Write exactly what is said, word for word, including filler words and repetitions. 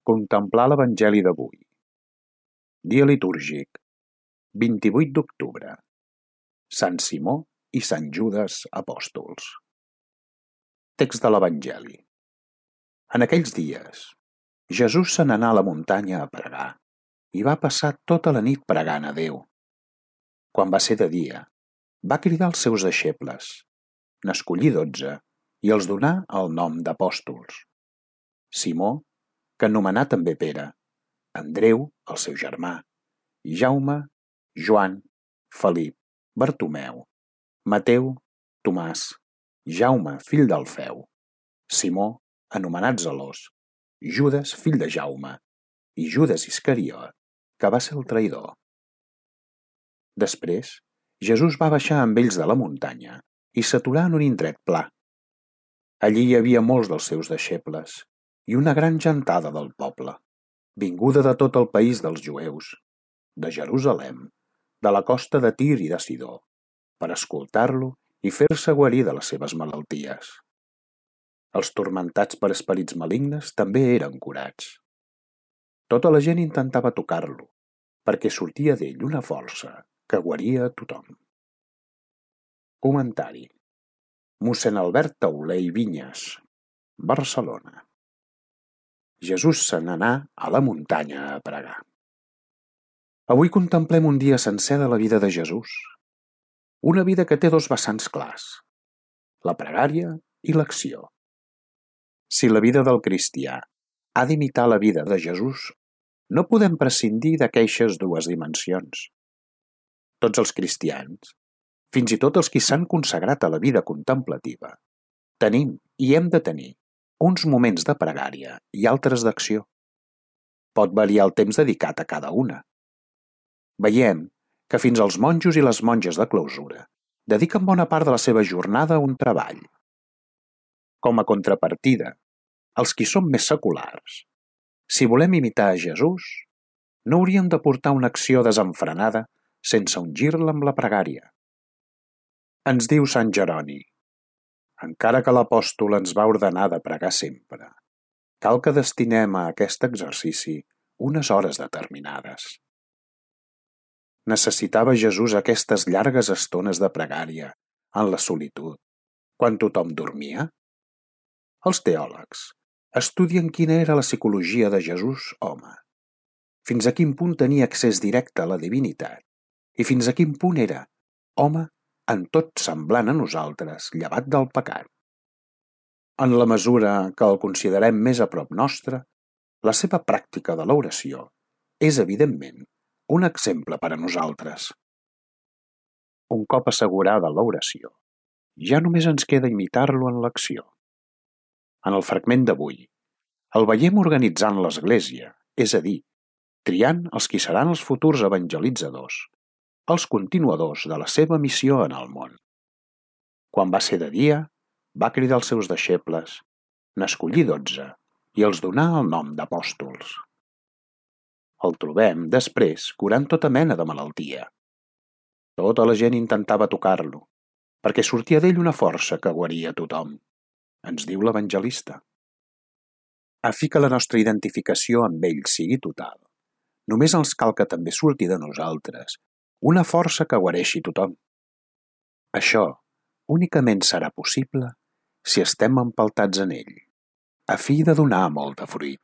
Contemplar l'Evangeli d'avui. Dia litúrgic, vint-i-vuit d'octubre. Sant Simó i Sant Judes apòstols. Text de l'Evangeli. En aquells dies, Jesús se n'anà a la muntanya a pregar i va passar tota la nit pregant a Déu. Quan va ser de dia, va cridar els seus deixebles, n'escollí dotze i els donà el nom d'apòstols. Simó, que anomenà també Pere, Andreu, el seu germà, Jaume, Joan, Felip, Bartomeu, Mateu, Tomàs, Jaume, fill d'Alfeu, Simó, anomenat Zelós, Judes, fill de Jaume, i Judes Iscariot, que va ser el traïdor. Després, Jesús va baixar amb ells de la muntanya i s'aturà en un indret pla. Allí hi havia molts dels seus deixebles i una gran gentada del poble, vinguda de tot el país dels jueus, de Jerusalem, de la costa de Tir i de Sidó, per escoltar-lo i fer-se guarir de les seves malalties. Els turmentats per esperits malignes també eren curats. Tota la gent intentava tocar-lo, perquè sortia d'ell una força que guaria a tothom. Comentari. Mossèn Albert Tauler i Vinyes, Barcelona. Jesús se n'anà a la muntanya a pregar. Avui contemplem un dia sencer de la vida de Jesús. Una vida que té dos vessants clars, la pregària i l'acció. Si la vida del cristià ha d'imitar la vida de Jesús, no podem prescindir d'aquestes dues dimensions. Tots els cristians, fins i tot els qui s'han consagrat a la vida contemplativa, tenim i hem de tenir uns moments de pregària i altres d'acció. Pot variar el temps dedicat a cada una. Veiem que fins als monjos i les monges de clausura dediquen bona part de la seva jornada a un treball. Com a contrapartida, els qui som més seculars, si volem imitar a Jesús, no hauríem de portar una acció desenfrenada sense ungir-la amb la pregària. Ens diu Sant Jeroni: encara que l'apòstol ens va ordenar de pregar sempre, cal que destinem a aquest exercici unes hores determinades. Necessitava Jesús aquestes llargues estones de pregària en la solitud, quan tothom dormia? Els teòlegs estudien quina era la psicologia de Jesús home, fins a quin punt tenia accés directe a la divinitat i fins a quin punt era home en tot semblant a nosaltres, llevat del pecat. En la mesura que el considerem més a prop nostre, la seva pràctica de l'oració és, evidentment, un exemple per a nosaltres. Un cop assegurada l'oració, ja només ens queda imitar-lo en l'acció. En el fragment d'avui, el veiem organitzant l'Església, és a dir, triant els qui seran els futurs evangelitzadors, els continuadors de la seva missió en el món. Quan va ser de dia, va cridar els seus deixebles, n'escollí dotze i els donà el nom d'apòstols. El trobem, després, curant tota mena de malaltia. Tota la gent intentava tocar-lo, perquè sortia d'ell una força que guaria tothom, ens diu l'evangelista. A fi que la nostra identificació amb ell sigui total, només ens cal que també surti de nosaltres una força que guareixi tothom. Això únicament serà possible si estem empeltats en ell, a fi de donar molt de fruit.